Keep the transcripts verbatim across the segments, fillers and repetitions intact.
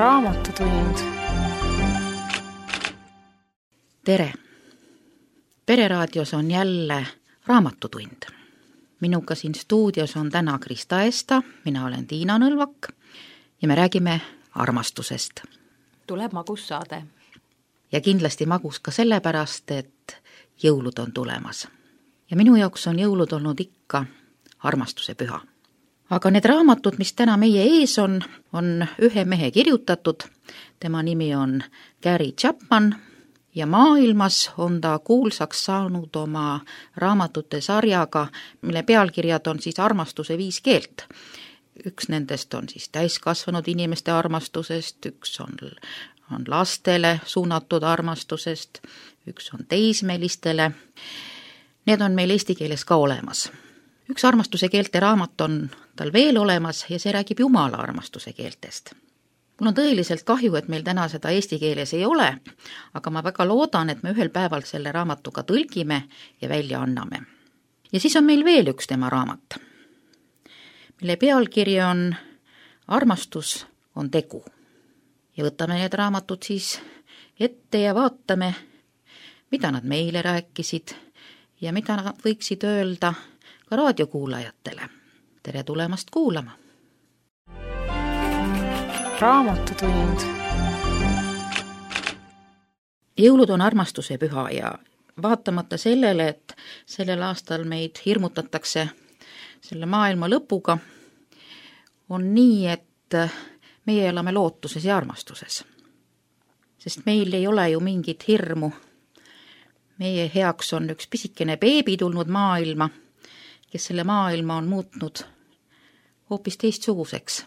Raamatutund. Tere! Pereraadios on jälle Raamatutund. Minuga siin stuudios on täna Krista Esta, mina olen Tiina Nõlvak ja me räägime armastusest. Tuleb magus saade. Ja kindlasti magus ka sellepärast, et jõulud on tulemas. Ja minu jaoks on jõulud olnud ikka armastuse püha. Aga need raamatud, mis täna meie ees on, on ühe mehe kirjutatud. Tema nimi on Gary Chapman ja maailmas on ta kuulsaks saanud oma raamatute sarjaga, mille pealkirjad on siis armastuse viis keelt. Üks nendest on siis täiskasvanud inimeste armastusest, üks on, on lastele suunatud armastusest, üks on teismelistele. Need on meil eesti keeles ka olemas. Üks armastuse keelte raamat on tal veel olemas ja see räägib Jumala armastuse keeltest. Mul on tõeliselt kahju, et meil täna seda eesti keeles ei ole, aga ma väga loodan, et me ühel päeval selle raamatuga tõlgime ja välja anname. Ja siis on meil veel üks tema raamat, mille pealkiri on Armastus on tegu. Ja võtame need raamatud siis ette ja vaatame, mida nad meile rääkisid ja mida nad võiksid öelda ka raadiokuulajatele. Tere tulemast kuulama! Raamatutund. Jõulud on armastuse püha ja vaatamata sellele, et sellel aastal meid hirmutatakse selle maailma lõpuga, on nii, et meie elame lootuses ja armastuses. Sest meil ei ole ju mingit hirmu. Meie heaks on üks pisikene beebi tulnud maailma, kes selle maailma on muutnud hoopis teistsuguseks.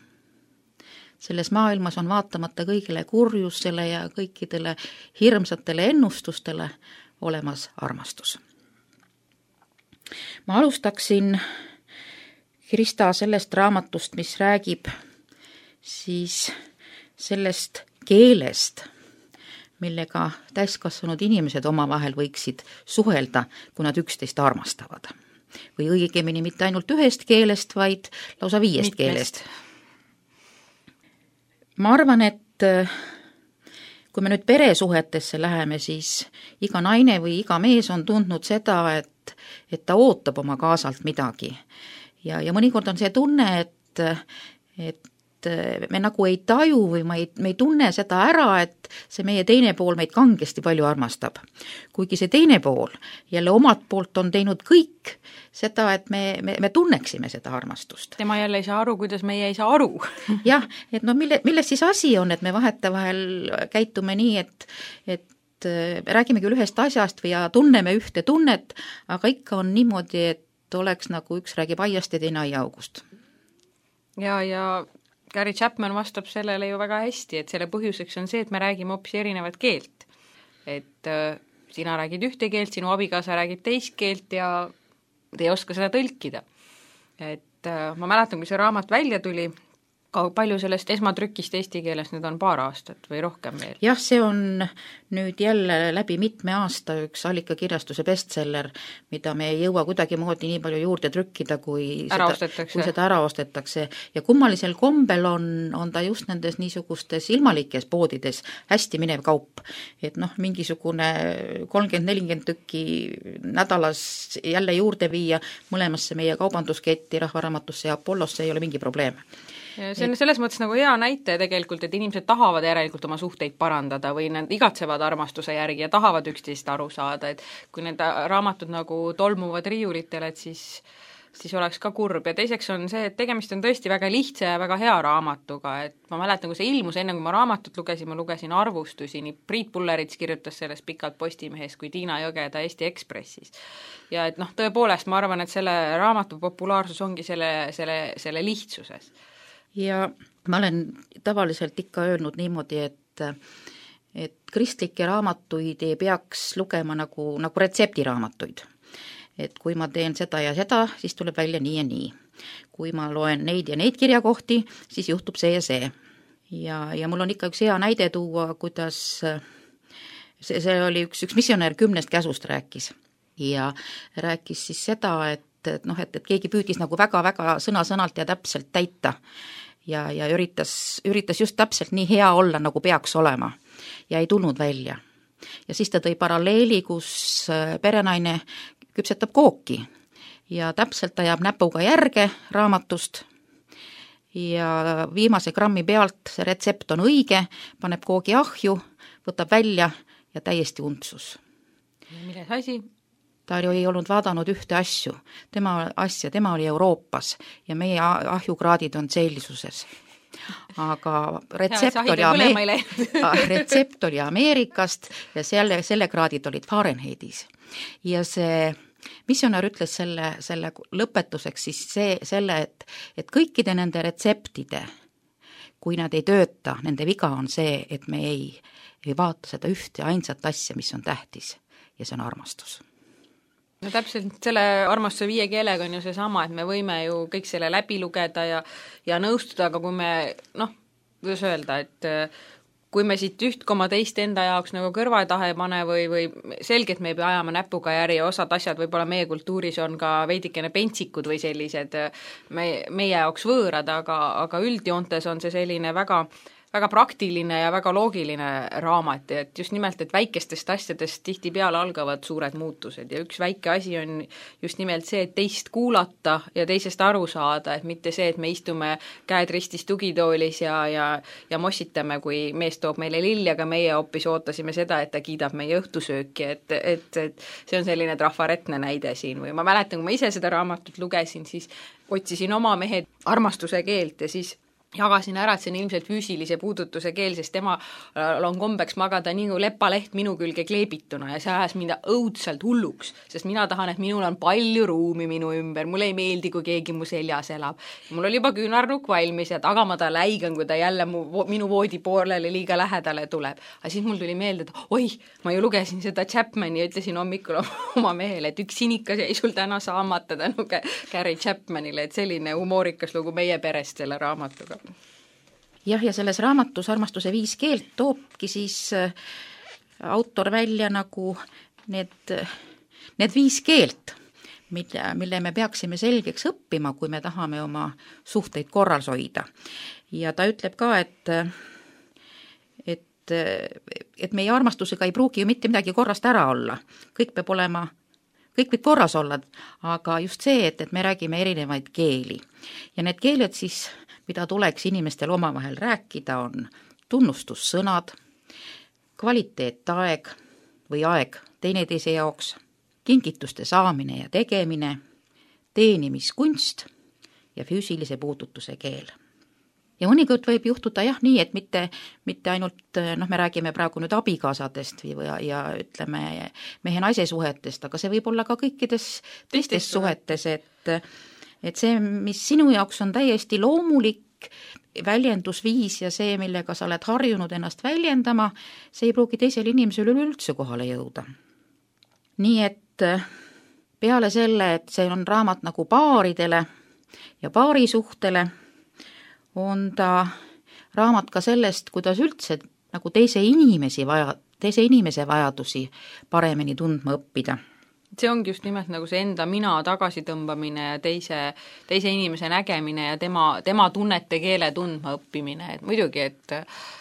Selles maailmas on vaatamata kõigile kurjusele ja kõikidele hirmsatele ennustustele olemas armastus. Ma alustaksin, Krista, sellest raamatust, mis räägib siis sellest keelest, millega täiskasvanud inimesed omavahel võiksid suhelda, kui nad üksteist armastavad. Või õigemini mitte ainult ühest keelest, vaid lausa viiest Mitmest. keelest. Ma arvan, et kui me nüüd peresuhetesse läheme, siis iga naine või iga mees on tundnud seda, et, et ta ootab oma kaasalt midagi. Ja, ja mõnikord on see tunne, et, et me nagu ei taju või me ei, me ei tunne seda ära, et see meie teine pool meid kangesti palju armastab. Kuigi see teine pool jälle omalt poolt on teinud kõik seda, et me, me, me tunneksime seda armastust. Tema jälle ei saa aru, kuidas meie ei saa aru. Jah, et no mille, milles siis asi on, et me vahetevahel käitume nii, et, et räägime küll ühest asjast või ja tunneme ühte tunnet, aga ikka on niimoodi, et oleks nagu üks räägib aiast ja teine aiaaugust. Ja, ja Gary Chapman vastab sellele ju väga hästi, et selle põhjuseks on see, et me räägime hoopis erinevat keelt. Et äh, sina räägid ühte keelt, sinu abikaasa räägib teist keelt ja te ei oska seda tõlkida. Et äh, ma mäletan, kui see raamat välja tuli, ka palju sellest esmatrükist eesti keeles nüüd on paar aastat või rohkem veel? Jah, see on nüüd jälle läbi mitme aasta üks allikakirjastuse bestseller, mida me ei jõua kuidagi moodi nii palju juurde trükkida, kui ära seda, ostetakse. kui seda ära ostetakse. Ja kummalisel kombel on, on ta just nendes niisugustes ilmalikes poodides hästi minev kaup. Et noh, mingisugune kolmkümmend nelikümmend tükki nädalas jälle juurde viia mõlemasse meie kaubandusketti, Rahvaraamatusse ja Apollosse ei ole mingi probleem. Ja see on selles mõttes nagu hea näite tegelikult, et inimesed tahavad järelikult oma suhteid parandada või nad igatsevad armastuse järgi ja tahavad üksteist aru saada, et kui need raamatud nagu tolmuvad riiulitele, et siis, siis oleks ka kurb. Ja teiseks on see, et tegemist on tõesti väga lihtsa ja väga hea raamatuga, et ma mäletan, kui see ilmus, enne kui ma raamatut lugesin, ma lugesin arvustusi, nii Priit Pullerits kirjutas sellest pikalt Postimehes kui Tiina Jõgeda Eesti Ekspressis. Ja et noh, tõepoolest ma arvan, et selle raamatu populaarsus ongi selle, selle, selle lihtsuses. Ja ma olen tavaliselt ikka öelnud niimoodi, et, et kristlikke raamatuid ei peaks lugema nagu, nagu retseptiraamatuid. Et kui ma teen seda ja seda, siis tuleb välja nii ja nii. Kui ma loen neid ja neid kirjakohti, siis juhtub see ja see. Ja, ja mul on ikka üks hea näide tuua, kuidas see, see oli üks, üks missionär kümnest käsust rääkis. Ja rääkis siis seda, et et, noh, et, et keegi püüdis nagu väga-väga sõna-sõnalt ja täpselt täita. ja, ja üritas, üritas just täpselt nii hea olla, nagu peaks olema ja ei tulnud välja. Ja siis ta tõi paralleeli, kus perenaine küpsetab kooki ja täpselt ta jääb näpuga järge raamatust ja viimase grammi pealt see retsept on õige, paneb koogi ahju, võtab välja ja täiesti untsus. Milles asi? Ta ei olnud vaadanud ühte asju, tema asja, tema oli Euroopas ja meie ahjukraadid on sellisuses. Aga retsept oli, Ame- retsept oli Ameerikast ja selle, selle kraadid olid Fahrenheitis. Ja see missionär ütles selle, selle lõpetuseks siis see, selle, et, et kõikide nende retseptide, kui nad ei tööta, nende viga on see, et me ei, ei vaata seda ühte ainsat asja, mis on tähtis ja see on armastus. No täpselt selle armastuse viie keelega on ju see sama, et me võime ju kõik selle läbi lugeda ja, ja nõustuda, aga kui me, noh, kuidas öelda, et kui me siit üht koma teist enda jaoks nagu kõrvatahe pane või, või selgelt me ei pea ajama näpuga järgi ja osad asjad võib-olla meie kultuuris on ka veidikene pentsikud või sellised me, meie jaoks võõrad, aga, aga üldjoontes on see selline väga väga praktiline ja väga loogiline raamat, et just nimelt, et väikestest asjadest tihtipeale algavad suured muutused ja üks väike asi on just nimelt see, et teist kuulata ja teisest aru saada, et mitte see, et me istume käed ristis tugitoolis ja, ja, ja mossitame, kui mees toob meile lilli, aga meie hoopis ootasime seda, et ta kiidab meie õhtusööki, et, et, et see on selline trafaretne näide siin või ma mäletan, kui ma ise seda raamatut lugesin, siis otsisin oma mehe armastuse keelt ja siis jagasin ära, et see on ilmselt füüsilise puudutuse keel, sest tema on kombeks magada nii kui lepaleht minu külge kleebituna ja see ajas mind õudselt hulluks, sest mina tahan, et minul on palju ruumi minu ümber, mulle ei meeldi, kui keegi mu seljas elab. Mul oli juba küünarnukk valmis ja taga ma ta läigan, kui ta jälle mu, minu voodi poolele liiga lähedale tuleb. Aga siis mul tuli meelde, et oi, ma ju lugesin seda Chapmani ja ütlesin hommikul oma mehele, et üks sinikas jäi sul täna saamata tänu Gary Chapmanile, et selline humoorikas lugu meie perest selle raamatuga. Jah, ja selles raamatus Armastuse viis keelt toobki siis autor välja nagu need, need viis keelt, mille, mille me peaksime selgeks õppima, kui me tahame oma suhteid korras hoida. Ja ta ütleb ka, et, et, et meie armastusega ei pruugi ju mitte midagi korrast ära olla. Kõik peab olema, kõik võib korras olla, aga just see, et, et me räägime erinevaid keeli. Ja need keeled siis mida tuleks inimestel omavahel rääkida, on tunnustussõnad, kvaliteetaeg või aeg teineteise jaoks, kingituste saamine ja tegemine, teenimiskunst ja füüsilise puudutuse keel. Ja mõnikord võib juhtuda jah nii, et mitte, mitte ainult, noh, me räägime praegu nüüd abikaasadest või, ja, ja ütleme mehe-naise suhetest, aga see võib olla ka kõikides teistes suhetes, et et see, mis sinu jaoks on täiesti loomulik väljendusviis ja see, millega sa oled harjunud ennast väljendama, see ei pruugi teisel inimesel üleüldse kohale jõuda. Nii et peale selle, et see on raamat nagu paaridele ja paarisuhtele, on ta raamat ka sellest, kuidas üldse nagu teise inimesi vaja, teise inimese vajadusi paremini tundma õppida. See ongi just nimelt nagu see enda mina tagasitõmbamine ja teise, teise inimese nägemine ja tema, tema tunnete keele tundma õppimine, et muidugi, et,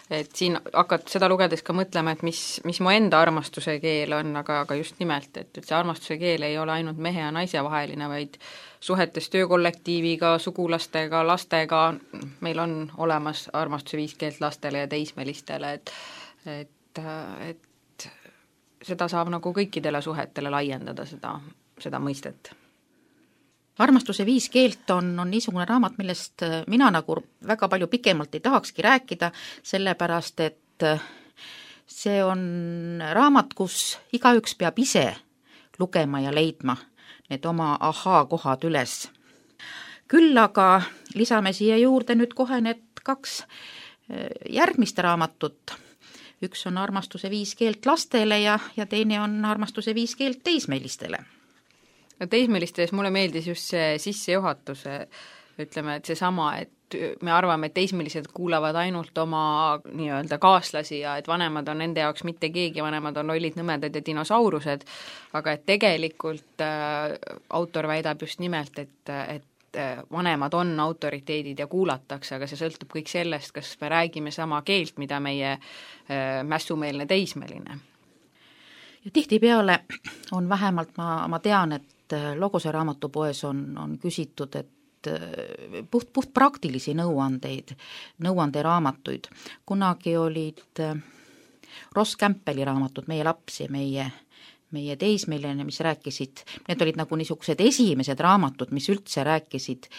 et siin hakkad seda lugedes ka mõtlema, et mis, mis mu enda armastuse keel on, aga, aga just nimelt, et, et see armastuse keel ei ole ainult mehe ja naise vaheline, vaid suhetes töökollektiiviga, sugulastega, lastega, meil on olemas armastuse viis keelt lastele ja teismelistele, et, et, et seda saab nagu kõikidele suhetele laiendada, seda, seda mõistet. Armastuse viis keelt on, on niisugune raamat, millest mina nagu väga palju pikemalt ei tahakski rääkida, sellepärast et see on raamat, kus igaüks peab ise lugema ja leidma need oma ahaa-kohad üles. Küll aga lisame siia juurde nüüd kohe need kaks järgmist raamatut. Üks on Armastuse viis keelt lastele ja, ja teine on Armastuse viis keelt teismelistele. Teismelistes mulle meeldis just see sissejuhatuse, ütleme, et see sama, et me arvame, et teismelised kuulavad ainult oma nii-öelda kaaslasi ja et vanemad on nende jaoks mitte keegi, vanemad on lollid, nõmedad ja dinosaurused, aga et tegelikult äh, autor väidab just nimelt, et, et vanemad on autoriteedid ja kuulatakse, aga see sõltub kõik sellest, kas me räägime sama keelt, mida meie mässumeelne teismeline. Ja tihtipeale on vähemalt, ma, ma tean, et Logose raamatupoes on, on küsitud, et puht, puht praktilisi nõuandeid, nõuanderaamatuid. Kunagi olid Ross Campbelli raamatud Meie laps ja meie, meie teismeline, mis rääkisid, need olid nagu niisugused esimesed raamatud, mis üldse rääkisid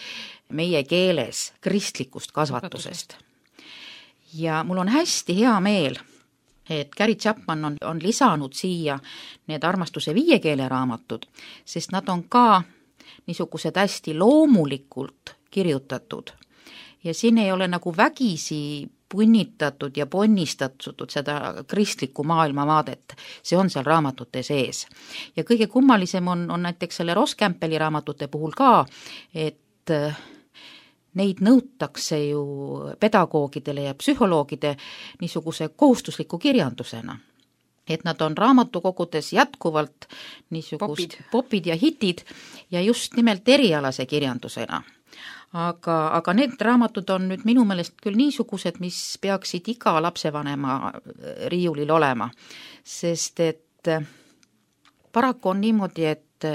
meie keeles kristlikust kasvatusest. Ja mul on hästi hea meel, et Gary Chapman on, on lisanud siia need armastuse viie keele raamatud, sest nad on ka niisugused hästi loomulikult kirjutatud ja siin ei ole nagu vägisi punnitatud ja ponnistatud seda kristlikku maailmavaadet, see on seal raamatute sees. Ja kõige kummalisem on, on näiteks selle Ross Campbelli raamatute puhul ka, et neid nõutakse ju pedagoogidele ja psühholoogide niisuguse kohustusliku kirjandusena. Et nad on raamatukogudes jätkuvalt niisugust popid, popid ja hitid ja just nimelt erialase kirjandusena. Aga, aga need raamatud on nüüd minu meelest küll niisugused, mis peaksid iga lapsevanema riiulil olema, sest et paraku on niimoodi, et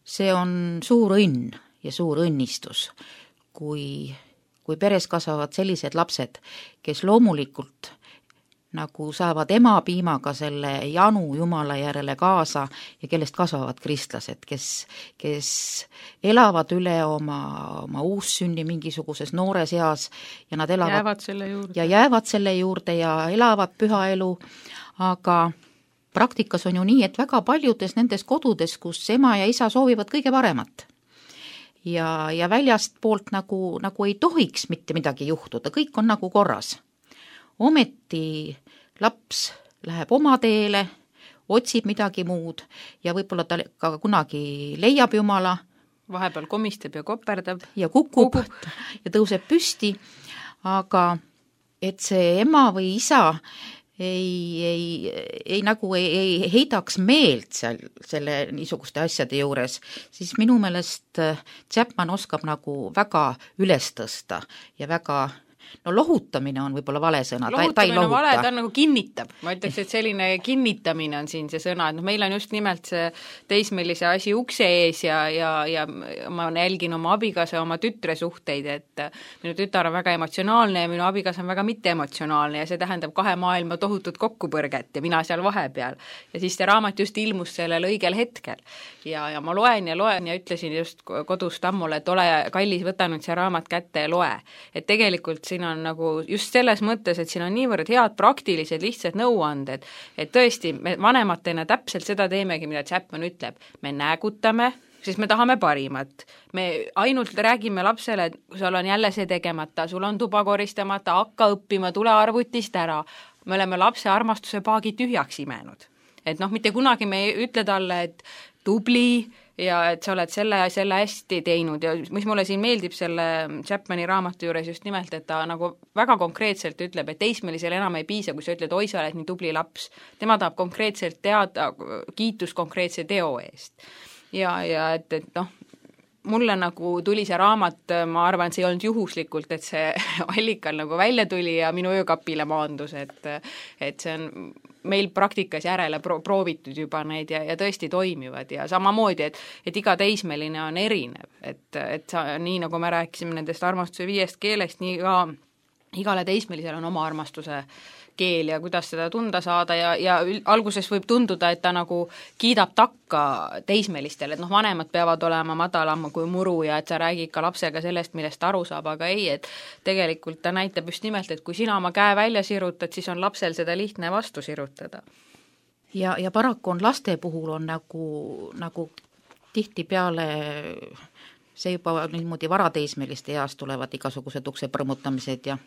see on suur õnn ja suur õnnistus, kui, kui peres kasvavad sellised lapsed, kes loomulikult nagu saavad ema piimaga selle janu Jumala järele kaasa ja kellest kasvavad kristlased, kes, kes elavad üle oma, oma uussünni mingisuguses noores eas ja nad elavad jäävad selle juurde. ja jäävad selle juurde ja elavad püha elu, aga praktikas on ju nii, et väga paljudes nendes kodudes, kus ema ja isa soovivad kõige paremat ja, ja väljast poolt nagu, nagu ei tohiks mitte midagi juhtuda, kõik on nagu korras. Ometi laps läheb oma teele, otsib midagi muud ja võib-olla ta ka kunagi leiab Jumala. Vahepeal komistab ja koperdab. Ja kukub, kukub ja tõuseb püsti, aga et see ema või isa ei, ei, ei nagu ei, ei heidaks meelt seal selle niisuguste asjade juures, siis minu meelest Chapman oskab nagu väga üles tõsta ja väga no lohutamine on võib-olla vale sõna, ta, ta ei lohuta. Vale, ta nagu kinnitab, ma ütleks, et selline kinnitamine on siin see sõna, et no meil on just nimelt see teismelise asi ukse ees ja, ja, ja ma jälgin oma abikaasa, oma tütre suhteid, et minu tütar on väga emotsionaalne ja minu abikaasa on väga mitteemotsionaalne ja see tähendab kahe maailma tohutut kokkupõrget ja mina seal vahepeal. Ja siis see raamat just ilmus sellel õigel hetkel. Ja, ja ma loen ja loen ja ütlesin just kodus tammule, et ole kallis, võta nüüd see raamat kätte ja loe. Et tegelikult siin on nagu just selles mõttes, et siin on niivõrd head praktilised lihtsad nõuanded, et tõesti me vanematena täpselt seda teemegi, mida Chapman ütleb. Me näägutame, sest me tahame parimat. Me ainult räägime lapsele, et sul on jälle see tegemata, sul on tuba koristamata, hakka õppima, tule arvutist ära. Me oleme lapse armastuse paagi tühjaks imenud. Et noh, mitte kunagi me ei ütle talle, et tubli ja et sa oled selle ja selle hästi teinud ja mis mulle siin meeldib selle Chapmani raamatu juures just nimelt, et ta nagu väga konkreetselt ütleb, et teismelisel enam ei piisa, kui sa ütled, oi, sa oled nii tubli laps. Tema tahab konkreetselt teada kiitus konkreetse teo eest. Ja, ja et, et noh, mulle nagu tuli see raamat, ma arvan, see ei olnud juhuslikult, et see allikal nagu välja tuli ja minu öökapile maandus, et, et see on meil praktikas järele pro- proovitud juba neid ja, ja tõesti toimivad ja samamoodi, et, et iga teismeline on erinev, et, et sa, nii nagu me rääkisime nendest armastuse viiest keelest, nii ka igale teismelisel on oma armastuse keel ja kuidas seda tunda saada ja, ja alguses võib tunduda, et ta nagu kiidab takka teismelistele, et noh, vanemad peavad olema madalama kui muru ja et sa räägid ka lapsega sellest, millest aru saab, aga ei, et tegelikult ta näitab just nimelt, et kui sina oma käe välja sirutad, siis on lapsel seda lihtne vastu sirutada. Ja, ja paraku on laste puhul on nagu, nagu tihtipeale see juba niimoodi varateismeliste eas tulevad igasugused ukse põrmutamised ja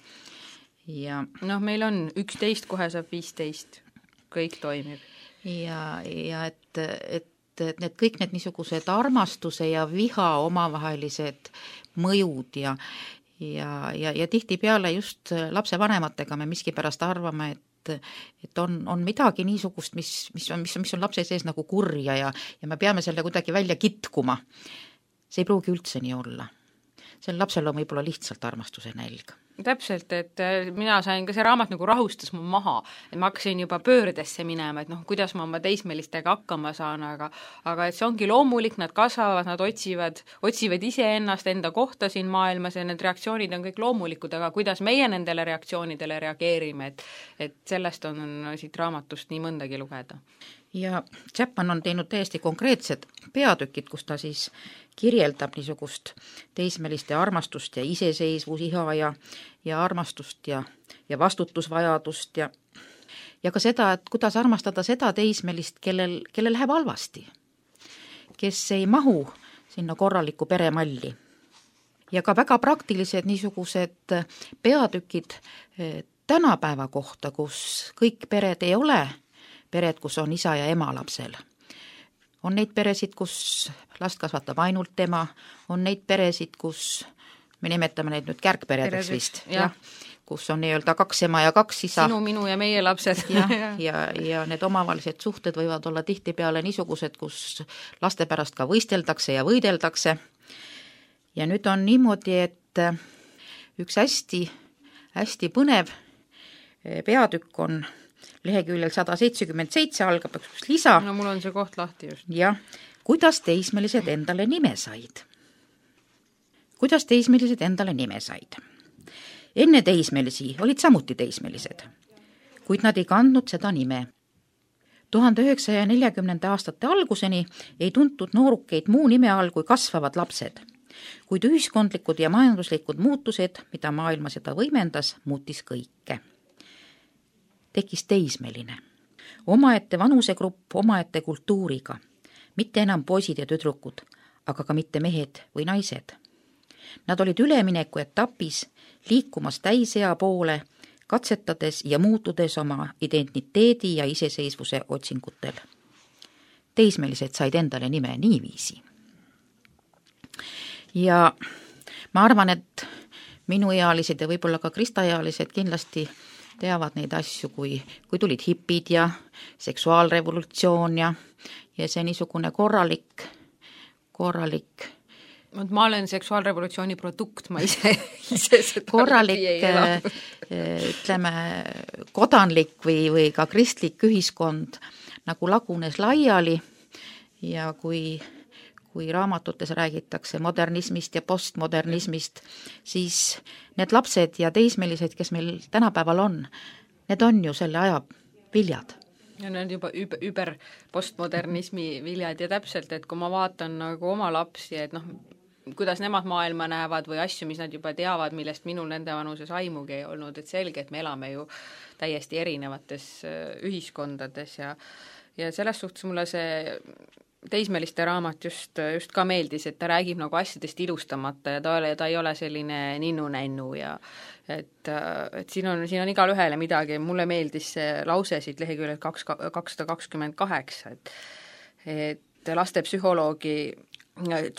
ja noh, meil on üksteist, kohe saab viisteist, kõik toimib. Ja, ja et, et, et need kõik need niisugused armastuse ja viha omavahelised mõjud ja, ja, ja, ja tihtipeale just lapsevanematega me miskipärast arvame, et et on, on midagi niisugust, mis, mis, on, mis, mis on lapse sees nagu kurja ja, ja me peame selle kuidagi välja kitkuma. see ei pruugi üldse nii olla. Sel lapsel on võib-olla lihtsalt armastuse nälg. Täpselt, et mina sain ka see raamat nagu rahustas mu maha, et ma hakkasin juba pöördesse minema, et noh, kuidas ma oma teismelistega hakkama saan, aga aga et see ongi loomulik, nad kasvavad, nad otsivad, otsivad iseennast enda kohta siin maailmas ja need reaktsioonid on kõik loomulikud, aga kuidas meie nendele reaktsioonidele reageerime, et et sellest on siit raamatust nii mõndagi lugeda. Ja Chapman on teinud täiesti konkreetsed peatükid, kus ta siis kirjeldab niisugust teismeliste armastust ja iseseisvus, iha ja, ja armastust ja, ja vastutusvajadust ja, ja ka seda, et kuidas armastada seda teismelist, kellel, kellel läheb halvasti, kes ei mahu sinna korralikku peremalli. Ja ka väga praktilised niisugused peatükid tänapäeva kohta, kus kõik pered ei ole pered, kus on isa ja ema lapsel. On neid peresid, kus last kasvatab ainult tema, on neid peresid, kus me nimetame neid nüüd kärgperedeks vist, ja, kus on nii-öelda kaks ema ja kaks isa. Sinu, minu ja meie lapsed. ja, ja, ja need omavalised suhted võivad olla tihtipeale niisugused, kus laste pärast ka võisteldakse ja võideldakse. Ja nüüd on niimoodi, et üks hästi, hästi põnev peatükk on leheküljel sada seitsekümmend seitse algab üks lisa. No mul on see koht lahti just. Jah, kuidas teismelised endale nime said? Kuidas teismelised endale nime said? Enne teismelisi olid samuti teismelised, kuid nad ei kandnud seda nime. tuhande üheksasaja neljakümnenda aastate alguseni ei tuntud noorukeid muu nime all kui kasvavad lapsed, kuid ühiskondlikud ja majanduslikud muutused, mida maailma seda võimendas, muutis kõike. Tekkis teismeline, omaette vanusegrupp omaette kultuuriga, mitte enam poisid ja tüdrukud, aga ka mitte mehed või naised. Nad olid ülemineku etapis, liikumas täisea poole, katsetades ja muutudes oma identiteedi ja iseseisvuse otsingutel. Teismelised said endale nime niiviisi. Ja ma arvan, et minuealised ja võib-olla ka kristaealised kindlasti teavad neid asju, kui, kui tulid hipid ja seksuaalrevolutsioon ja, ja see niisugune korralik, korralik ma olen seksuaalrevolutsiooni produkt, ma ise, ise seda korralik, ütleme, kodanlik või, või ka kristlik ühiskond nagu lagunes laiali ja kui kui raamatutes räägitakse modernismist ja postmodernismist, siis need lapsed ja teismelised, kes meil tänapäeval on, need on ju selle aja viljad. Ja need juba über, über postmodernismi viljad ja täpselt, et kui ma vaatan nagu oma lapsi, et noh, kuidas nemad maailma näevad või asju, mis nad juba teavad, millest minul nende vanuses aimugi ei olnud, et selge, et me elame ju täiesti erinevates ühiskondades ja, ja selles suhtes mulle see teismeliste raamat just, just ka meeldis, et ta räägib nagu asjadest ilustamata ja ta, ta ei ole selline ninnu-nännu ja et, et siin on, siin on igal ühele midagi, mulle meeldis see lause siit leheküljel kakssada kakskümmend kaheksa, et, et lastepsühholoogi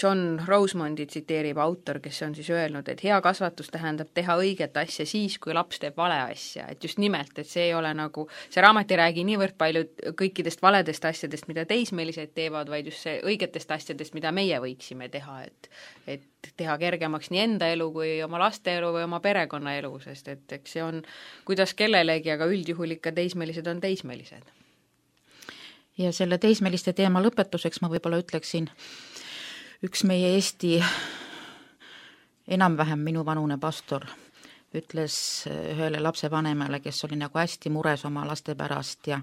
John Rosemondi tsiteerib autor, kes on siis öelnud, et hea kasvatus tähendab teha õiget asja siis, kui laps teeb vale asja, et just nimelt, et see ei ole nagu, see raamat ei räägi niivõrd palju kõikidest valedest asjadest, mida teismelised teevad, vaid just see õigetest asjadest, mida meie võiksime teha, et, et teha kergemaks nii enda elu kui oma laste elu või oma perekonna elu, sest et eks see on, kuidas kellelegi, aga üldjuhul ikka teismelised on teismelised. Ja selle teismeliste teema lõpetuseks ma võib-olla ütleksin, üks meie Eesti enam-vähem minu vanune pastor ütles ühele lapsevanemale, kes oli nagu hästi mures oma laste pärast ja,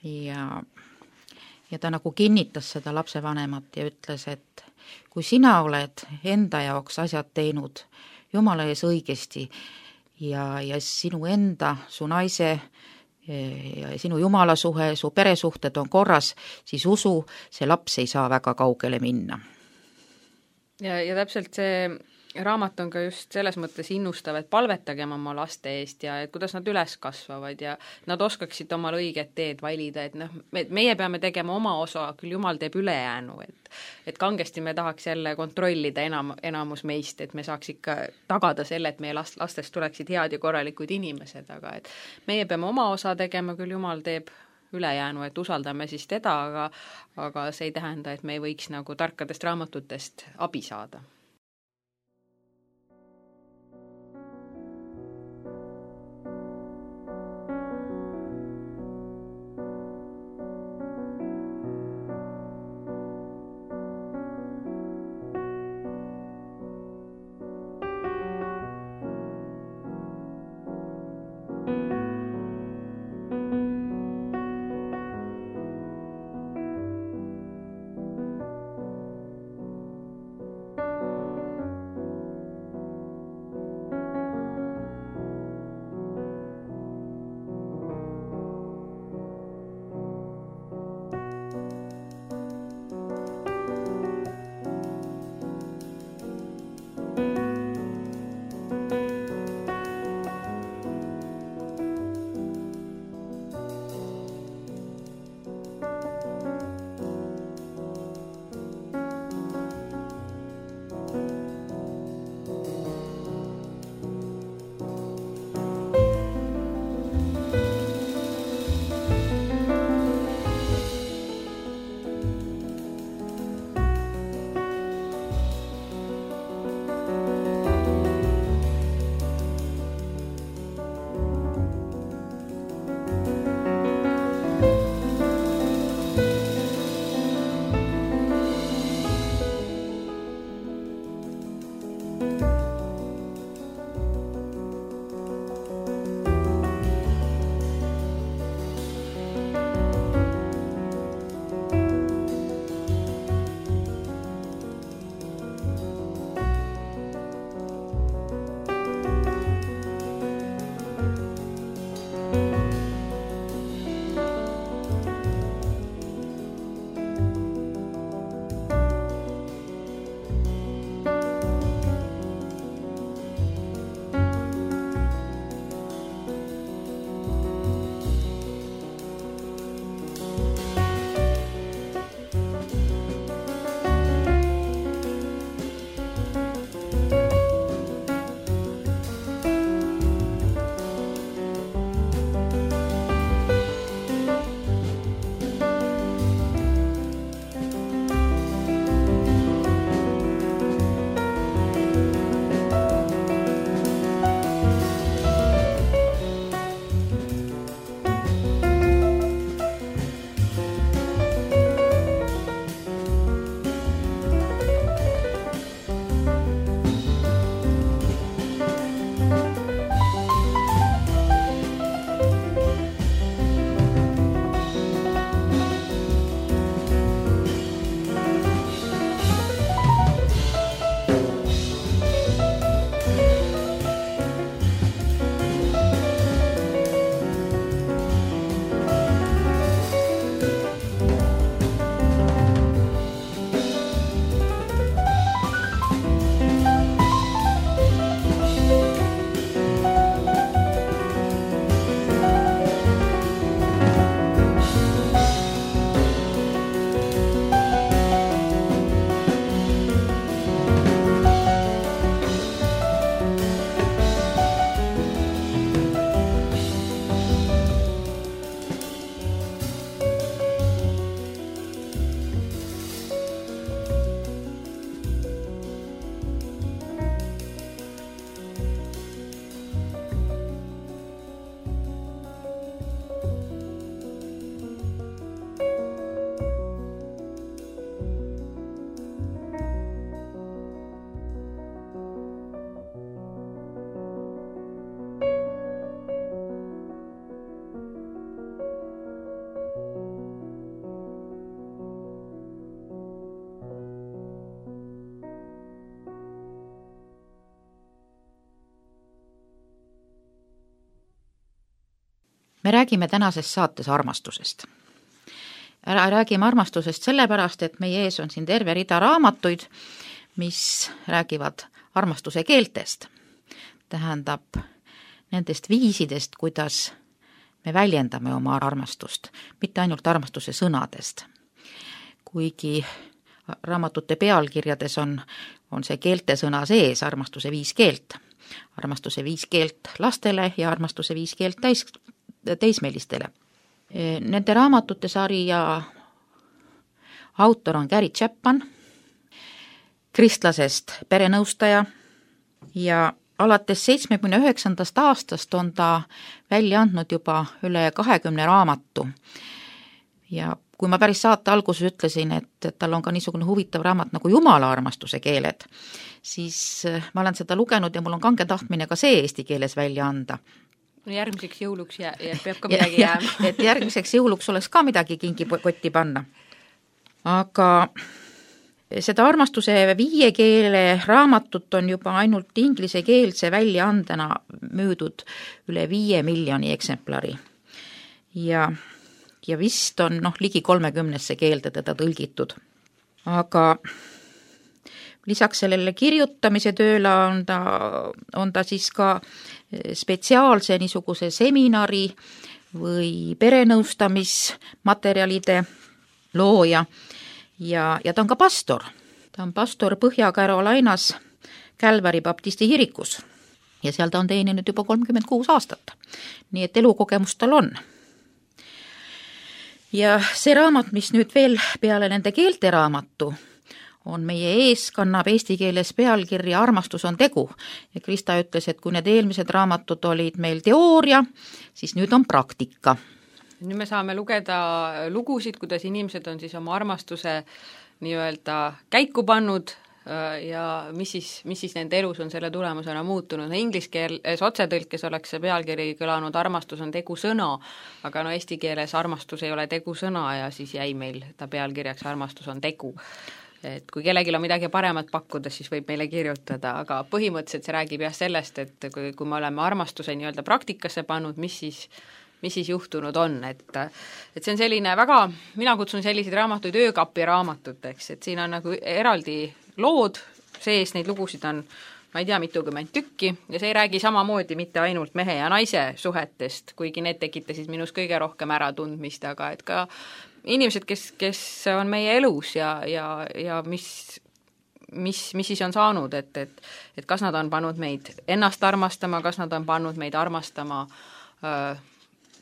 ja, ja ta nagu kinnitas seda lapsevanemat ja ütles, et kui sina oled enda jaoks asjad teinud Jumala ees õigesti ja, ja sinu enda, su naise ja sinu Jumala suhe, su peresuhted on korras, siis usu, see laps ei saa väga kaugele minna. Ja, ja täpselt see raamat on ka just selles mõttes innustav, et palvetagem oma laste eest ja et kuidas nad üles kasvavad ja nad oskaksid omal õiget teed valida, et noh, me, meie peame tegema oma osa, küll Jumal teeb ülejäänu, et, et kangesti me tahaks jälle kontrollida enam, enamus meist, et me saaks ikka tagada selle, et meie last, lastest tuleksid head ja korralikud inimesed, aga et meie peame oma osa tegema, küll Jumal teeb ülejäänu, et usaldame siis teda, aga aga see ei tähenda, et me ei võiks nagu tarkadest raamatutest abi saada. me räägime tänases saates armastusest. Räägime armastusest sellepärast, et meie ees on siin terve rida raamatuid, mis räägivad armastuse keeltest. Tähendab nendest viisidest, kuidas me väljendame oma armastust, mitte ainult armastuse sõnadest. Kuigi raamatute pealkirjades on, on see keeltesõna sees, armastuse viis keelt. Armastuse viis keelt lastele ja armastuse viis keelt täis, teismelistele. Nende raamatute sarja autor on Gary Chapman, kristlasest perenõustaja ja alates seitsmekümne üheksandast aastast on ta välja andnud juba üle kahekümne raamatu. Ja kui ma päris saate alguses ütlesin, et, et tal on ka niisugune huvitav raamat nagu Jumala armastuse keeled, siis ma olen seda lugenud ja mul on kange tahtmine ka see eesti keeles välja anda. No järgmiseks jõuluks jää, ja peab ka midagi ja, jääma. Et järgmiseks jõuluks oleks ka midagi kingipotti panna. Aga seda armastuse viie keele raamatut on juba ainult inglisekeelse väljaandena müüdud üle viie miljoni eksemplari. Ja, ja vist on noh, ligi kolmekümnesse keelde teda tõlgitud. Aga lisaks sellele kirjutamise tööle on ta, on ta siis ka spetsiaalse niisuguse seminari või perenõustamismaterjalide looja ja, ja ta on ka pastor. Ta on pastor Põhja-Carolinas Calvary Baptisti kirikus ja seal ta on teeninud juba kolmkümmend kuus aastat. Nii et elukogemust tal on. Ja see raamat, mis nüüd veel peale nende keelte raamatu on meie ees, kannab eesti keeles pealkirja Armastus on tegu. Ja Krista ütles, et kui need eelmised raamatud olid meil teooria, siis nüüd on praktika. Nüüd me saame lugeda lugusid, kuidas inimesed on siis oma armastuse nii-öelda käiku pannud ja mis siis, mis siis nende elus on selle tulemusena muutunud. No inglise keeles otsetõlkes oleks see pealkiri kõlanud armastus on tegu sõna, aga no eesti keeles armastus ei ole tegu sõna ja siis jäi meil ta pealkirjaks armastus on tegu. Et kui kellelgi on midagi paremat pakkuda, siis võib meile kirjutada, aga põhimõtteliselt see räägib jah sellest, et kui, kui me oleme armastuse nii-öelda praktikasse pannud, mis siis, mis siis juhtunud on, et, et see on selline väga, mina kutsun selliseid raamatuid öökapi raamatuteks, et siin on nagu eraldi lood sees, neid lugusid on, ma ei tea, mitukümmend tükki ja see ei räägi samamoodi mitte ainult mehe ja naise suhetest, kuigi need tekitasid minus kõige rohkem äratundmist, aga et ka inimesed, kes, kes on meie elus ja, ja, ja mis, mis, mis siis on saanud, et, et, et kas nad on pannud meid ennast armastama, kas nad on pannud meid armastama öö,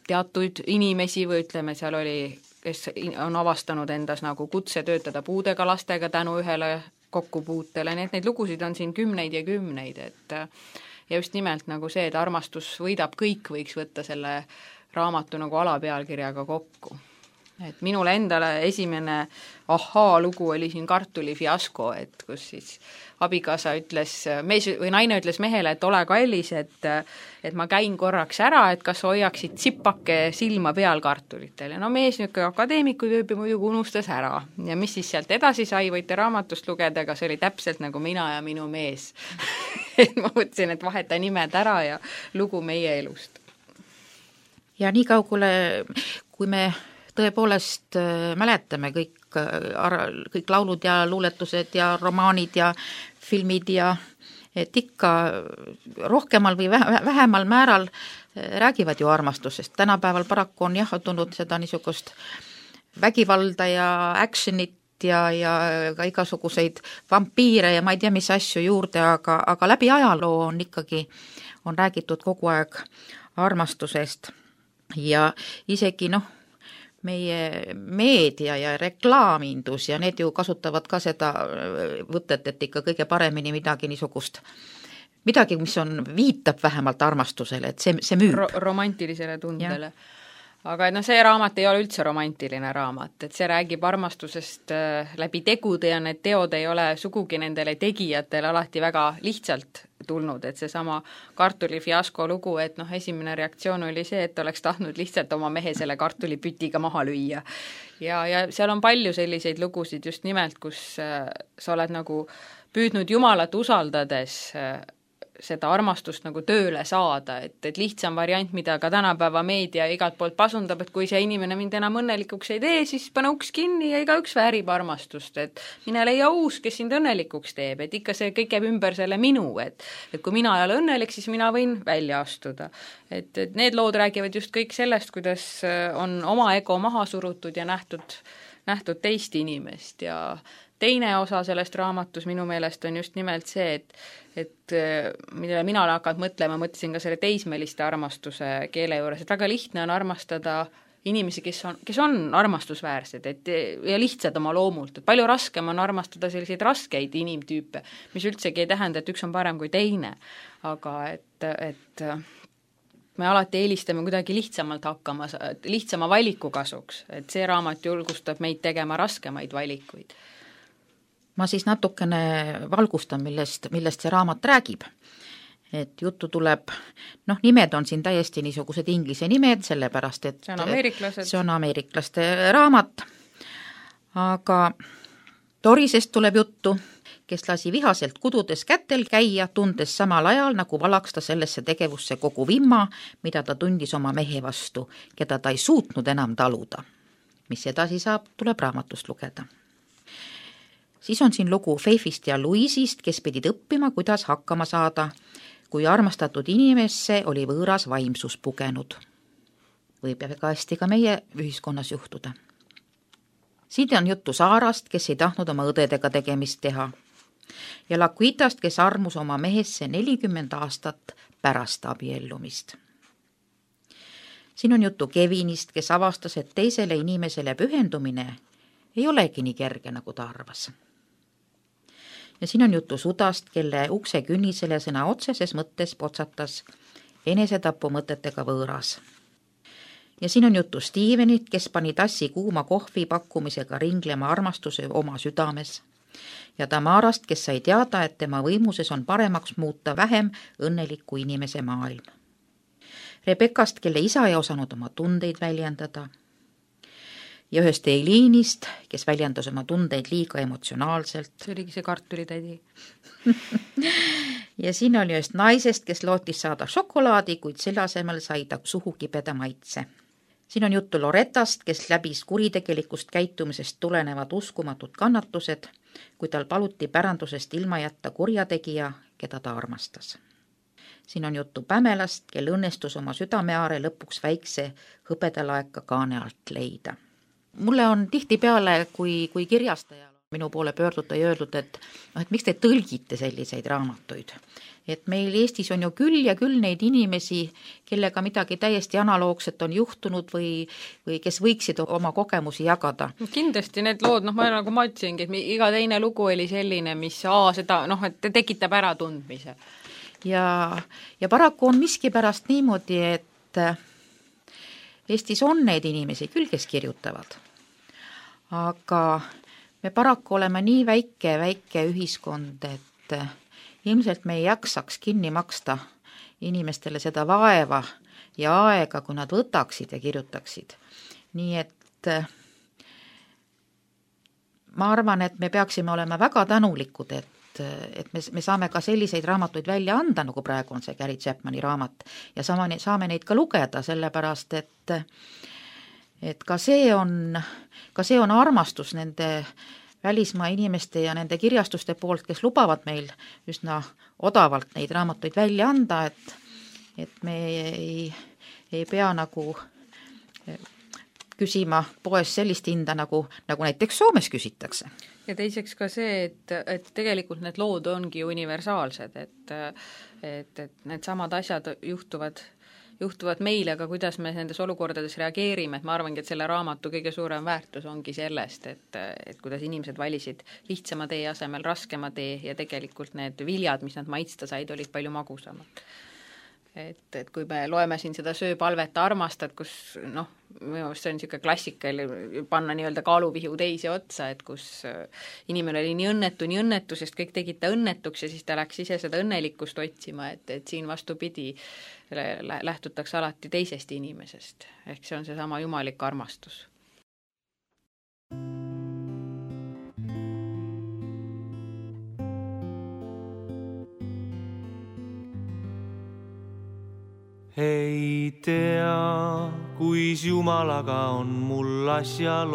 teatuid inimesi või ütleme, seal oli, kes on avastanud endas nagu kutse töötada puudega lastega tänu ühele kokkupuutele, nii et neid lugusid on siin kümneid ja kümneid, et ja just nimelt nagu see, et armastus võidab kõik, võiks võtta selle raamatu nagu alapealkirjaga kokku. Et minule endale esimene ahaa lugu oli siin kartuli fiasko, et kus siis abikaasa ütles, mees või naine ütles mehele, et ole kallis, et, et ma käin korraks ära, et kas hoiaksid sipake silma peal kartulitel. Ja no mees nüüd akadeemiku tüüpi muidugi unustas ära. Ja mis siis sealt edasi sai, võite raamatust lugeda, aga see oli täpselt nagu mina ja minu mees. Et ma mõtlesin, et vaheta nimed ära ja lugu meie elust. Ja nii kaugule, kui me tõepoolest mäletame kõik, kõik laulud ja luuletused ja romaanid ja filmid ja et ikka rohkemal või vähemal määral räägivad ju armastusest. Tänapäeval paraku on jah tulnud seda niisugust vägivalda ja actionit ja, ja ka igasuguseid vampiire ja ma ei tea, mis asju juurde, aga, aga läbi ajaloo on ikkagi on räägitud kogu aeg armastusest ja isegi noh, meie meedia ja reklaamindus ja need ju kasutavad ka seda võtet, et ikka kõige paremini midagi niisugust, midagi, mis on, viitab vähemalt armastusele, et see, see müüb. Ro- romantilisele tundele. Ja. Aga no see raamat ei ole üldse romantiline raamat, et see räägib armastusest läbi tegude ja need teod ei ole sugugi nendele tegijatele alati väga lihtsalt tulnud, et see sama kartuli fiasko lugu, et noh, esimene reaktsioon oli see, et oleks tahtnud lihtsalt oma mehe selle kartulipütiga maha lüüa. Ja, ja seal on palju selliseid lugusid just nimelt, kus sa oled nagu püüdnud Jumalat usaldades seda armastust nagu tööle saada, et, et lihtsam variant, mida ka tänapäeva meedia igalt poolt pasundab, et kui see inimene mind enam õnnelikuks ei tee, siis pane uks kinni ja igaüks väärib armastust, et mine leia uus, kes sind õnnelikuks teeb, et ikka see kõik jääb ümber selle minu, et, et kui mina ei ole õnnelik, siis mina võin välja astuda. Et, et need lood räägivad just kõik sellest, kuidas on oma ego maha surutud ja nähtud, nähtud teist inimest ja teine osa sellest raamatus minu meelest on just nimelt see, et, et millele mina olen hakanud mõtlema, mõtlesin ka selle teismeliste armastuse keele juures, et väga lihtne on armastada inimesi, kes on, kes on armastusväärsed, et ja lihtsad oma loomult, et palju raskem on armastada selliseid raskeid inimtüüpe, mis üldsegi ei tähenda, et üks on parem kui teine, aga et, et me alati eelistame kuidagi lihtsamalt hakkama, lihtsama valiku kasuks, et see raamat julgustab meid tegema raskemaid valikuid. Ma siis natukene valgustan, millest, millest see raamat räägib. Et juttu tuleb, noh, nimed on siin täiesti niisugused inglise nimed, sellepärast, et see on ameeriklased. See on ameeriklaste raamat, aga Dorisest tuleb juttu, kes lasi vihaselt kududes kätel käia, tundes samal ajal, nagu valaks ta sellesse tegevusse kogu vimma, mida ta tundis oma mehe vastu, keda ta ei suutnud enam taluda. Mis edasi saab, tuleb raamatust lugeda. Siis on siin lugu Faithist ja Louisist, kes pidid õppima, kuidas hakkama saada, kui armastatud inimesse oli võõras vaimsus pugenud. Võib väga hästi ka meie ühiskonnas juhtuda. Siin on juttu Saarast, kes ei tahtnud oma õdedega tegemist teha, ja Laquitast, kes armus oma mehesse nelikümmend aastat pärast abiellumist. Siin on juttu Kevinist, kes avastas, et teisele inimesele pühendumine ei olegi nii kerge, nagu ta arvas. Ja siin on juttu Sudast, kelle ukse künnisele sõna otseses mõttes potsatas enesetapu mõtetega võõras. Ja siin on juttu Stevenit, kes pani tassi kuuma kohvi pakkumisega ringlema armastuse oma südames. Ja Tamarast, kes sai teada, et tema võimuses on paremaks muuta vähem õnneliku inimese maailm. Rebekast, kelle isa ei osanud oma tundeid väljendada. Ja ühest Eiliinist, kes väljendas oma tundeid liiga emotsionaalselt. See oligi see kartulitädi. Ja siin oli ühest naisest, kes lootis saada šokolaadi, kuid selle asemel sai ta suhu kibeda maitse. Siin on juttu Loretast, kes läbis kuritegelikust käitumisest tulenevad uskumatud kannatused, kui tal paluti pärandusest ilma jätta kurjategija, keda ta armastas. Siin on juttu Pamelast, kel õnnestus oma südameaare lõpuks väikse hõbedalaeka kaane alt leida. Mulle on tihti peale, kui, kui kirjastajal minu poole pöörduda ja öeldud, et, et miks te tõlgite selliseid raamatuid. Et meil Eestis on ju küll ja küll neid inimesi, kellega midagi täiesti analoogset on juhtunud või, või kes võiksid oma kogemusi jagada. Kindlasti need lood, noh ma nagu ma ütlesingi, et iga teine lugu oli selline, mis aa, seda, noh, et tekitab ära tundmise. Ja, ja paraku on miski pärast niimoodi, et Eestis on neid inimesi küll, kes kirjutavad. Aga me paraku oleme nii väike, väike ühiskond, et ilmselt me ei jaksaks kinni maksta inimestele seda vaeva ja aega, kui nad võtaksid ja kirjutaksid. Nii et ma arvan, et me peaksime olema väga tänulikud, et, et me, me saame ka selliseid raamatuid välja anda, nagu praegu on see Gary Chapmani raamat, ja saame, saame neid ka lugeda, sellepärast, et, et ka see on, ka see on armastus nende välismaa inimeste ja nende kirjastuste poolt, kes lubavad meil üsna odavalt neid raamatuid välja anda, et, et me ei, ei pea nagu küsima poes sellist hinda, nagu, nagu näiteks Soomes küsitakse. Ja teiseks ka see, et, et tegelikult need lood ongi universaalsed, et, et, et need samad asjad juhtuvad juhtuvad meile, aga kuidas me nendes olukordades reageerime, et ma arvangi, et selle raamatu kõige suurem väärtus ongi sellest, et, et kuidas inimesed valisid lihtsama tee asemel raskema tee ja tegelikult need viljad, mis nad maitsta said, olid palju magusamad. Et, et kui me loeme siin seda söö palveta armastad, kus noh, minu arust see on niisugune klassika, panna nii-öelda kaaluvihu teise otsa, et kus inimene oli nii õnnetu, nii õnnetu, sest kõik tegid ta õnnetuks ja siis ta läks ise seda õnnelikkust otsima, et, et siin vastupidi lähtutakse alati teisest inimesest. Ehk see on see sama jumalik armastus. Ei tea, kuis Jumalaga on mul asjalood,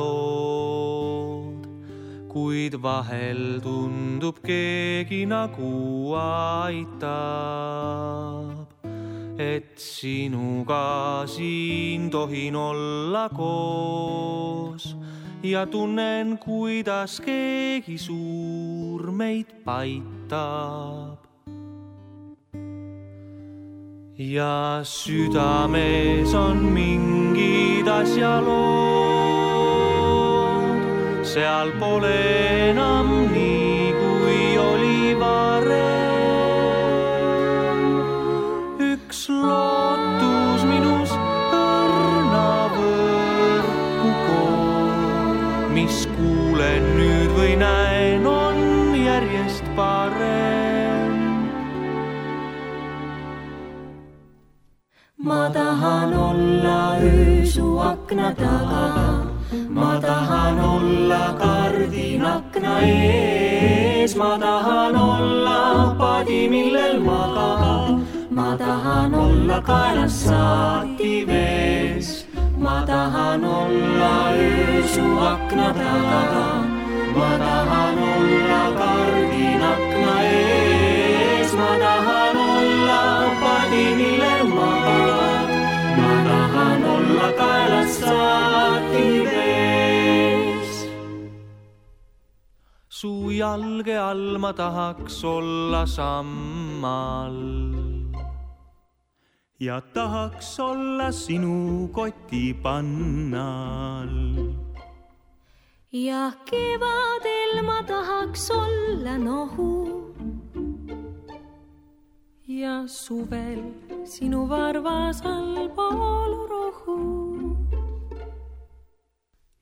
kuid vahel tundub keegi nagu aitab, et sinuga siin tohin olla koos ja tunnen, kuidas keegi suur meid paitab. ja südames on mingid asjalood. Seal pole enam nii, kui oli varem. Üks lootus minus õrna võrku koon, mis kuulen nüüd või näen, on järjest parem. Ma tahan olla öö su akna taga, ma tahan olla kardin akna ees, ma tahan olla padi, millel magada, ma tahan olla kaelas saati vees, ma tahan olla öö su akna taga, ma tahan olla kardin akna ees, ma tahan olla padi, millel magad, ma tahan olla kaelas saati vees. Su jalge all ma tahaks olla sammal ja tahaks olla sinu koti pannal. Ja kevadel ma tahaks olla nohu ja suvel sinu varvas all pool rohu.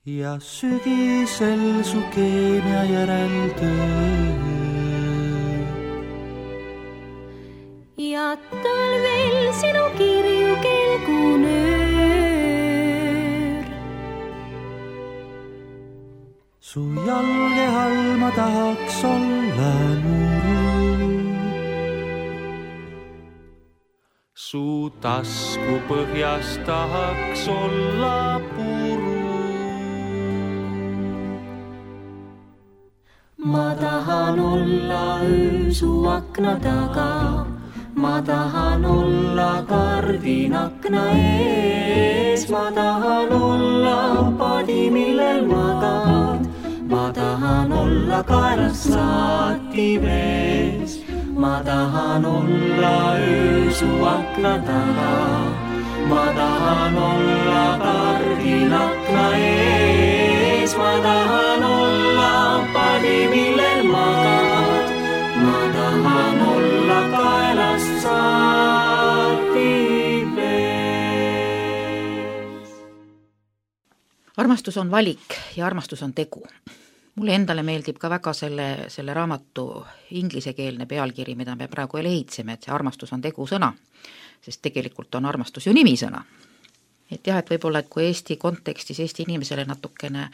Ja sügisel su keemia järel töö. Ja talvel sinu kirju kelgunöör. Su jalge all ma tahaks olla nuru. Su tasku põhjas tahaks olla puru. Ma tahan olla öö su akna taga, ma tahan olla kardin akna ees, ma tahan olla padi, millel magad, ma tahan olla kaelas saati vees, ma tahan olla öö su akna taga, ma tahan olla kardin akna ees, ma tahan olla padi, millel magad, ma tahan olla kaelas saati vees. Armastus on valik ja armastus on tegu. Mulle endale meeldib ka väga selle, selle raamatu inglisekeelne pealkiri, mida me praegu lehitseme, et see armastus on tegu sõna, sest tegelikult on armastus ju nimisõna. Et jah, et võib-olla, et kui Eesti kontekstis Eesti inimesele natukene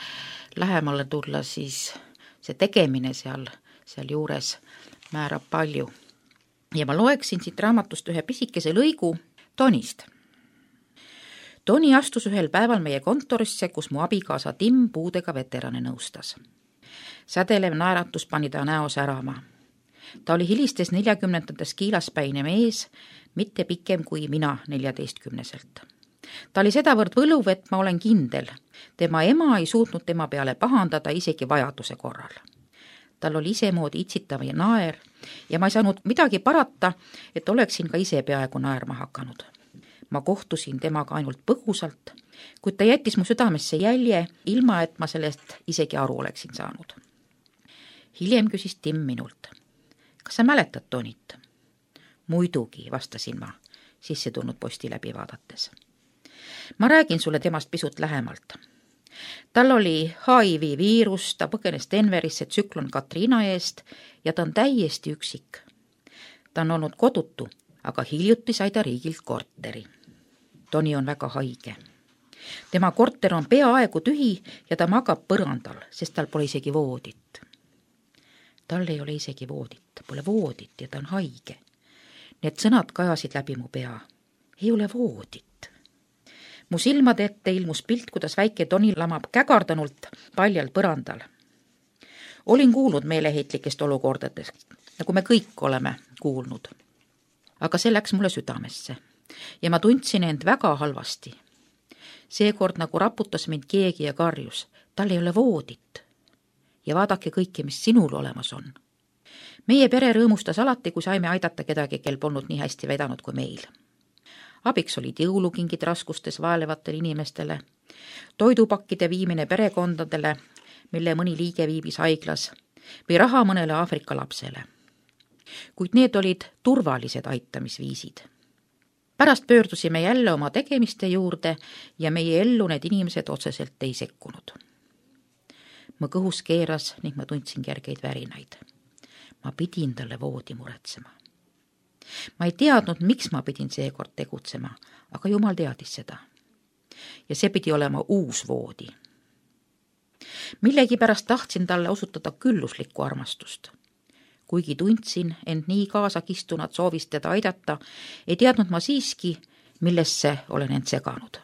lähemale tulla, siis see tegemine seal, seal juures määrab palju. Ja ma loeksin siit raamatust ühe pisikese lõigu Tonist. Toni astus ühel päeval meie kontorisse, kus mu abikaasa Tim puudega veterane nõustas. Sädelev naeratus pani ta näo särama. Ta oli hilistes neljakümnendates kiilaspäine mees, mitte pikem kui mina neljateistkümneselt. Ta oli sedavõrd võluv, et ma olen kindel. Tema ema ei suutnud tema peale pahandada isegi vajaduse korral. Tal oli isemoodi itsitav ja naer ja ma ei saanud midagi parata, et oleksin ka ise peaaegu naerma hakanud. Ma kohtusin temaga ainult põgusalt, kuid ta jättis mu südamesse jälje, ilma et ma sellest isegi aru oleksin saanud. Hiljem küsis Tim minult, kas sa mäletad Tonit? Muidugi, vastasin ma, sisse tulnud posti läbi vaadates. Ma räägin sulle temast pisut lähemalt. Tal oli H I V viirus, ta põgenes Denverisse tsüklon Katriina eest ja ta on täiesti üksik. Ta on olnud kodutu, aga hiljuti sai ta riigilt korteri. Toni on väga haige. Tema korter on peaaegu tühi ja ta magab põrandal, sest tal pole isegi voodit. Tal ei ole isegi voodit, pole voodit ja ta on haige. Need sõnad kajasid läbi mu pea. Ei ole voodit. Mu silmade ette ilmus pilt, kuidas väike Toni lamab kägardanult paljal põrandal. Olin kuulnud meeleheitlikest olukordadest, nagu me kõik oleme kuulnud. Aga see läks mulle südamesse ja ma tundsin end väga halvasti. Seekord nagu raputas mind keegi ja karjus, tal ei ole voodit. Ja vaadake kõike, mis sinul olemas on. Meie pere rõõmustas alati, kui saime aidata kedagi, kel polnud nii hästi vedanud kui meil. abiks olid jõulukingid raskustes vaelevatele inimestele, toidupakkide viimine perekondadele, mille mõni liige viibis haiglas, või raha mõnele Aafrika lapsele. Kuid need olid turvalised aitamisviisid. Pärast pöördusime jälle oma tegemiste juurde ja meie ellu need inimesed otseselt ei sekkunud. Mu kõhus keeras ning ma tundsin kergeid värinaid. Ma pidin talle voodi muretsema. Ma ei teadnud, miks ma pidin seekord tegutsema, aga Jumal teadis seda. Ja see pidi olema uus voodi. Millegi pärast tahtsin talle osutada külluslikku armastust. Kuigi tundsin end nii kaasakistunat soovist teda aidata, ei teadnud ma siiski, millesse olen end seganud.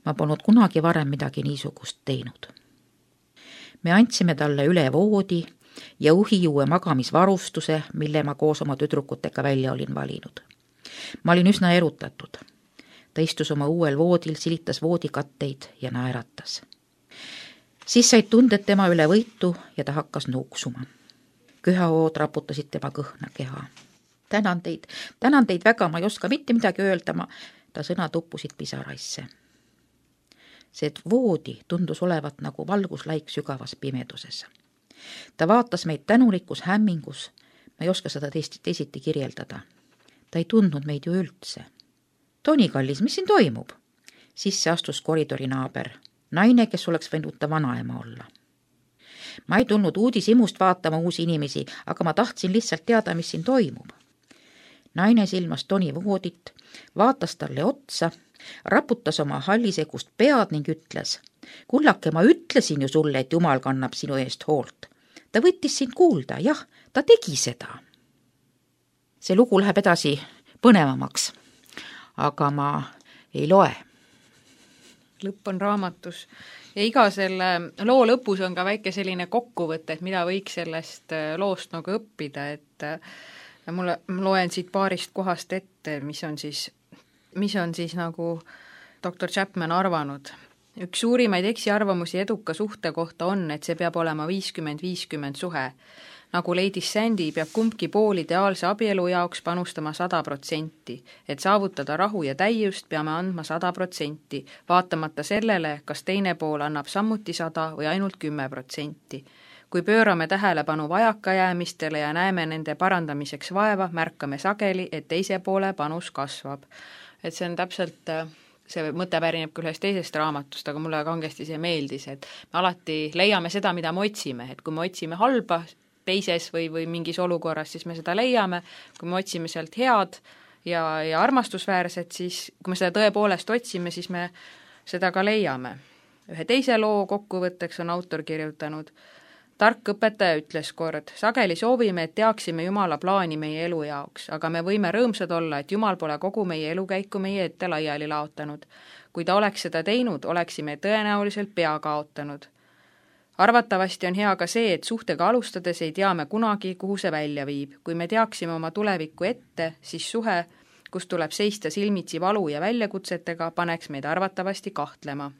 Ma polnud kunagi varem midagi niisugust teinud. Me andsime talle üle voodi ja uhijuue magamisvarustuse, mille ma koos oma tüdrukutega välja olin valinud. Ma olin üsna erutatud. Ta istus oma uuel voodil, silitas voodikatteid ja naeratas. Siis said tunded tema üle võitu ja ta hakkas nuuksuma. Köhaood raputasid tema kõhna keha. Tänan teid, tänan teid väga, ma ei oska mitte midagi öelda, ma... ta sõna tuppusid pisaraisse. See voodi tundus olevat nagu valguslaik sügavas pimeduses. Ta vaatas meid tänulikus hämmingus, ma ei oska seda teist, teisiti kirjeldada. Ta ei tundnud meid ju üldse. Toni, kallis, mis siin toimub? Sisse astus koridori naaber, naine, kes oleks võinud ta vanaema olla. Ma ei tulnud uudishimust vaatama uusi inimesi, aga ma tahtsin lihtsalt teada, mis siin toimub. Naine silmas Toni voodit, vaatas talle otsa, raputas oma hallisegust pead ning ütles: kullake, ma ütlesin ju sulle, et Jumal kannab sinu eest hoolt. Ta võttis sind kuulda, jah, ta tegi seda. See lugu läheb edasi põnevamaks, aga ma ei loe. Lõpp on raamatus ja iga selle loo lõpus on ka väike selline kokkuvõte, et mida võiks sellest loost nagu õppida, et mulle, ma loen siit paarist kohast ette, mis on siis, mis on siis nagu doktor Chapman arvanud. Üks suurimaid eksiarvamusi eduka suhte kohta on, et see peab olema viiskümmend viiskümmend suhe. Nagu leidis Sandy, peab kumbki pool ideaalse abielu jaoks panustama sada protsenti. Et saavutada rahu ja täiust, peame andma sada protsenti, vaatamata sellele, kas teine pool annab samuti sada või ainult kümme protsenti. Kui pöörame tähelepanu vajakajäämistele ja näeme nende parandamiseks vaeva, märkame sageli, et teise poole panus kasvab. Et see on täpselt... see mõte pärineb küll ühest teisest raamatust, aga mulle kangesti see meeldis, et me alati leiame seda, mida me otsime, et kui me otsime halba teises või, või mingis olukorras, siis me seda leiame, kui me otsime sealt head ja, ja armastusväärset, siis kui me seda tõepoolest otsime, siis me seda ka leiame. Ühe teise loo kokkuvõtteks on autor kirjutanud: tark õpetaja ütles kord, sageli soovime, et teaksime Jumala plaani meie elu jaoks, aga me võime rõõmsad olla, et Jumal pole kogu meie elukäiku meie ette laiali laotanud. Kui ta oleks seda teinud, oleksime tõenäoliselt pea kaotanud. Arvatavasti on hea ka see, et suhtega alustades ei tea me kunagi, kuhu see välja viib. Kui me teaksime oma tulevikku ette, siis suhe, kus tuleb seista silmitsi valu ja väljakutsetega, paneks meid arvatavasti kahtlema.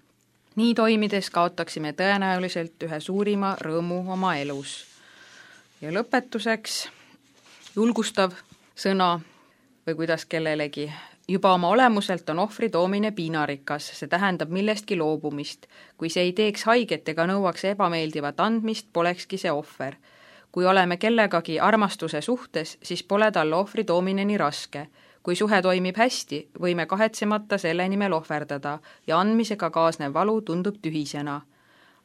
Nii toimides kaotaksime tõenäoliselt ühe suurima rõõmu oma elus. Ja lõpetuseks julgustav sõna või kuidas kellelegi. Juba oma olemuselt on ohvri toomine piinarikas, see tähendab millestki loobumist. Kui see ei teeks haiget ega nõuaks ebameeldivat andmist, polekski see ohver. Kui oleme kellegagi armastuse suhtes, siis pole talle ohvri toomine nii raske. Kui suhe toimib hästi, võime kahetsemata selle nimel ohverdada ja andmisega kaasnev valu tundub tühisena.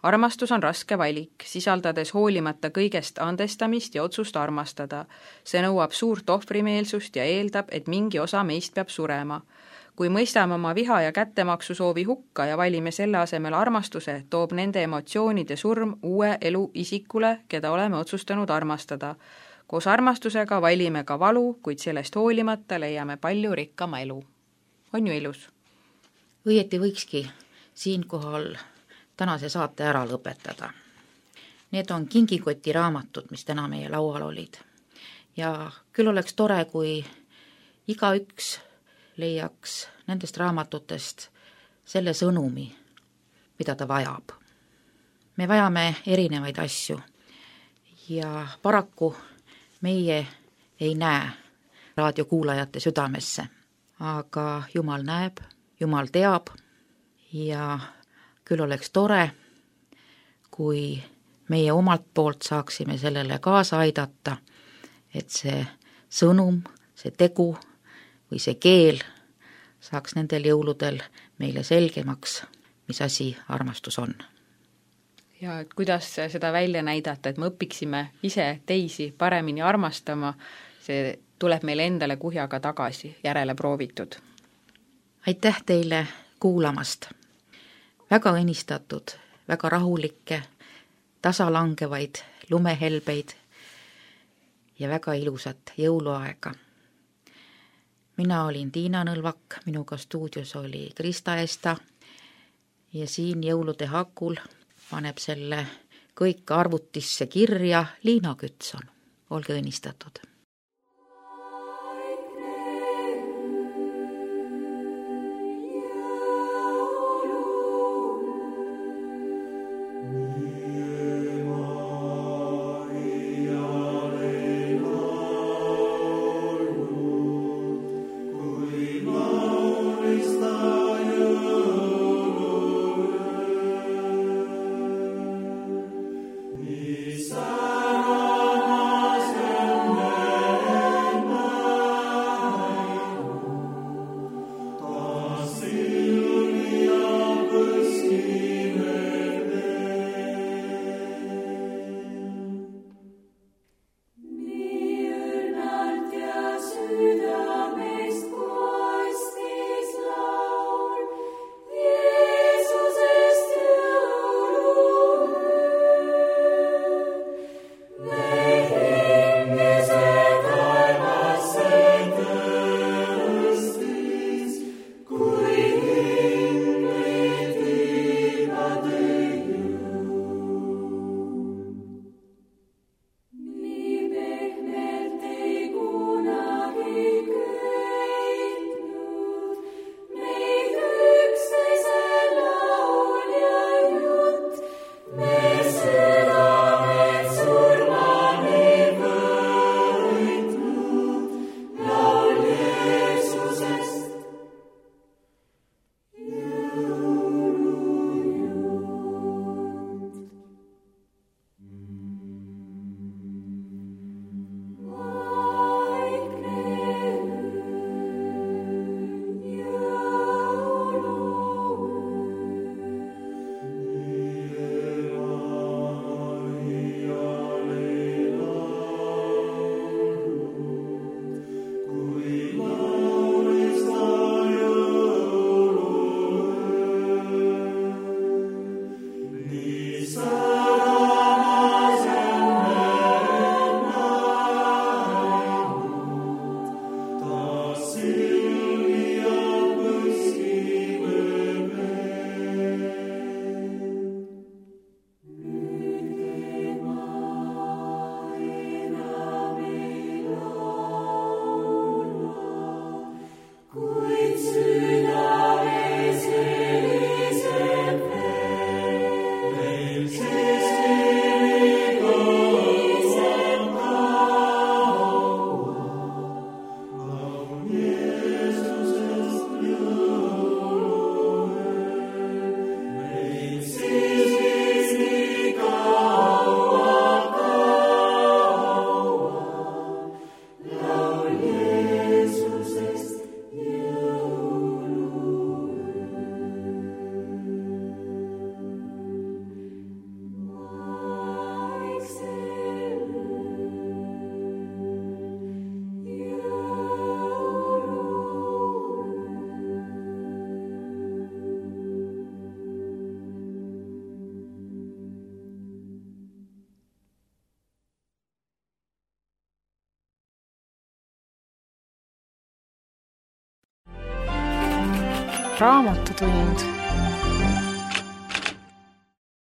Armastus on raske valik, sisaldades hoolimata kõigest andestamist ja otsust armastada. See nõuab suurt ohvrimeelsust ja eeldab, et mingi osa meist peab surema. Kui mõistame oma viha ja kättemaksu soovi hukka ja valime selle asemel armastuse, toob nende emotsioonide surm uue elu isikule, keda oleme otsustanud armastada. Koos armastusega valime ka valu, kuid sellest hoolimata leiame palju rikkama elu. On ju ilus? Õieti võikski siinkohal tänase saate ära lõpetada. Need on kingikoti raamatud, mis täna meie laual olid. Ja küll oleks tore, kui igaüks leiaks nendest raamatutest selle sõnumi, mida ta vajab. Me vajame erinevaid asju ja paraku meie ei näe raadiokuulajate südamesse. aga Jumal näeb, Jumal teab ja küll oleks tore, kui meie omalt poolt saaksime sellele kaasa aidata, et see sõnum, see tegu või see keel saaks nendel jõuludel meile selgemaks, mis asi armastus on. Ja et kuidas seda välja näidata, et me õpiksime ise teisi paremini armastama, see tuleb meile endale kuhjaga tagasi, järele proovitud. Aitäh teile kuulamast! Väga õnnistatud, väga rahulikke, tasalangevaid, lumehelbeid ja väga ilusat jõuluaega. Mina olin Tiina Nõlvak, minuga stuudios oli Krista Esta ja siin jõulude hakul paneb selle kõik arvutisse kirja Liina Kütson. Olge õnnistatud! Raamatutund.